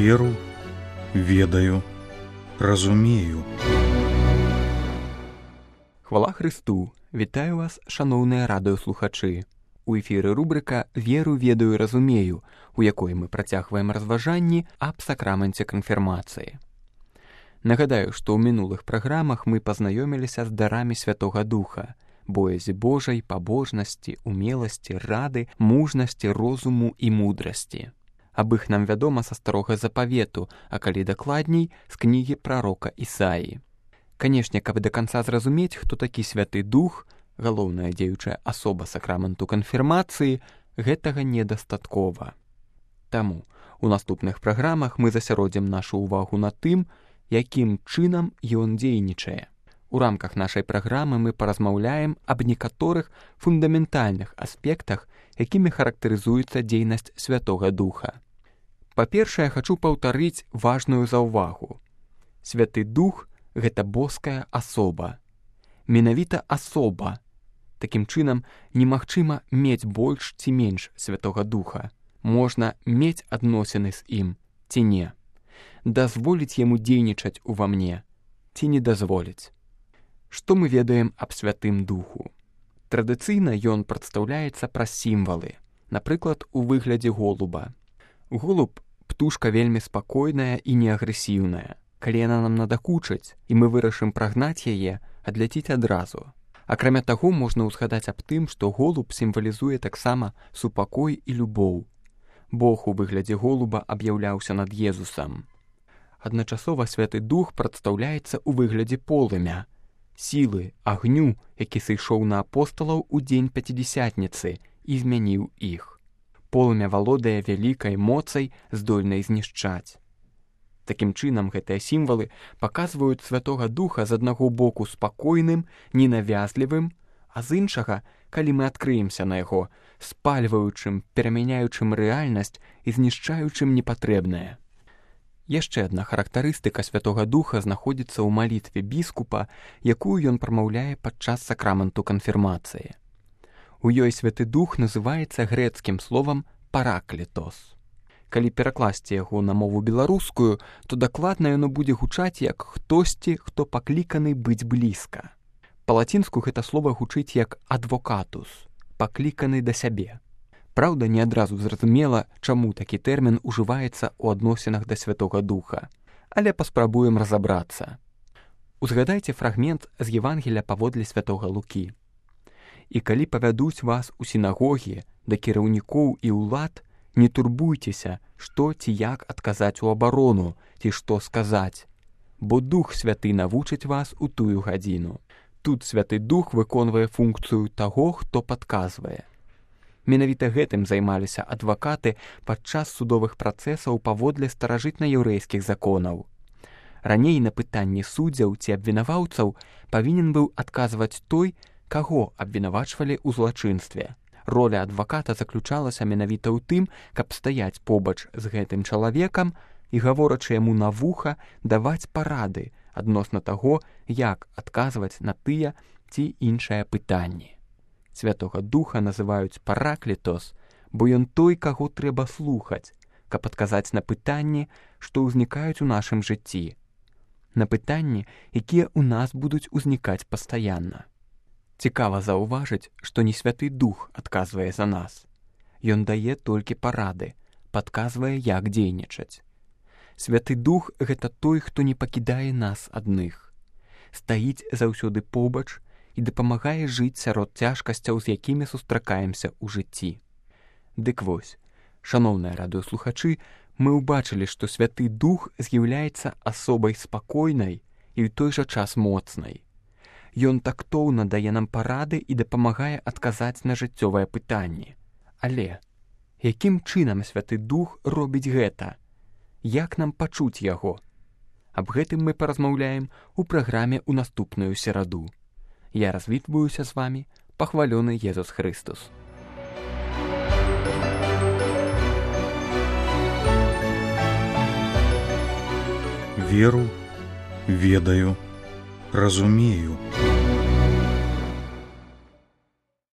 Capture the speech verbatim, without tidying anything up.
Веру, ведаю, разумею. Хвала Христу! Вітаю вас, шановныя радыёслухачы. У эфіры рубрика «Веру, ведаю, разумею», у якой мы працягваем разважанні аб сакраменце канфірмацыі. Нагадаю, што ў мінулых праграмах мы пазнаёміліся з дарамі Святога Духа, боязі Божай, пабожнасці, умеласці, рады, мужнасці, розуму і мудрасці. Аб іх нам вядома са старога запавету, а калі дакладней, з кнігі прарока Ісаі. Канешне, каб да канца зразумець, хто такі Святы Дух, галоўная дзеючая асоба сакраменту канфірмацыі, гэтага недастаткова. Таму у наступных праграмах мы засяродзім нашу ўвагу на тым, якім чынам ён дзейнічае. У рамках нашай праграмы мы паразмаўляем аб некаторых фундаментальных аспектах, якімі характарызуецца дзейнасць Святога Духа. Па-першае, хачу паўтарыць важную заўвагу. Святы Дух — гэта боская асоба. Менавіта асоба. Такім чынам, немагчыма мець больш ці менш Святога Духа. Можна мець адносіны з ім ці не. Дазволіць яму дзейнічаць ува мне ці не дазволіць. Што мы ведаем аб Святым Духу? Традыцыйна ён прадстаўляецца праз сімвалы, напрыклад, у выглядзе голуба. Голуб — птушка вельмі спакойная і неагрэсіўная. Калі яна нам надакучыць, і мы вырашым прагнаць яе, адляціць адразу. Акрамя таго, можна ўзгадаць аб тым, што голуб сімвалізуе таксама супакой і любоў. Бог у выглядзе голуба аб'яўляўся над Езусам. Адначасова Святы Дух прадстаўляецца ў выглядзе полымя, сілы, агню, які сышоў на апосталаў у дзень Пяцідзясятніцы і змяніў іх. Полымя валодае вялікай моцай, здольнай знішчаць. Такім чынам, гэтыя сімвалы паказваюць Святога Духа з аднаго боку спакойным, ненавязлівым, а з іншага, калі мы адкрыемся на яго, спальваючым, перамяняючым рэальнасць і знішчаючым непатрэбнае. Яшчэ адна характарыстыка Святога Духа знаходзіцца ў малітве біскупа, якую ён прамаўляе падчас сакраменту канфірмацыі. У ёй Святы Дух называецца грэцкім словам «параклітос». Калі перакласці яго на мову беларускую, то дакладна яно будзе гучаць як «хтосьці, хто пакліканы быць блізка». Па-лацінску гэта слова гучыць як «адвокатус», пакліканы да сябе. Праўда, не адразу зразумела, чаму такі тэрмін ужываецца ў адносінах да Святога Духа, але паспрабуем разабрацца. Узгадайце фрагмент з Евангелія паводле Святога Лукі. «І калі павядуць вас у сінагогі да кіраўнікоў і ўлад, не турбуйцеся, што ці як адказаць у абарону, ці што сказаць, бо Дух Святы навучыць вас у тую гадзіну». Тут Святы Дух выконвае функцыю таго, хто падказвае. Менавіта гэтым займаліся адвакаты падчас судовых працэсаў паводле старажытна-яўрэйскіх законаў. Раней на пытанні суддзяў ці абвінаваўцаў павінен быў адказваць той, каго абвінавачвалі ў злачынстве. Роля адваката заключалася менавіта ў тым, каб стаяць побач з гэтым чалавекам і, гаворачы яму на вуха, даваць парады адносна таго, як адказваць на тыя ці іншыя пытанні. Святога Духа называюць параклітос, бо ён той, каго трэба слухаць, каб адказаць на пытанні, што ўзнікаюць у нашым жыцці. На пытанні, якія ў нас будуць узнікаць пастаянна. Цікава заўважыць, што не Святы Дух адказвае за нас. Ён дае толькі парады, падказвае, як дзейнічаць. Святы Дух — гэта той, хто не пакідае нас адных. Стаіць заўсёды побач і дапамагае жыць сярод цяжкасцяў, з якімі сустракаемся ў жыцці. Дык вось, шаноўныя радыёслухачы, мы ўбачылі, што Святы Дух з'яўляецца асобай спакойнай і ў той жа час моцнай. Ён тактоўна дае нам парады і дапамагае адказаць на жыццёвыя пытанні. Але якім чынам Святы Дух робіць гэта? Як нам пачуць яго? Аб гэтым мы паразмаўляем у праграме ў наступную сераду. Я развітваюся з вамі, пахвалёны Езус Христос. Веру, ведаю, разумею.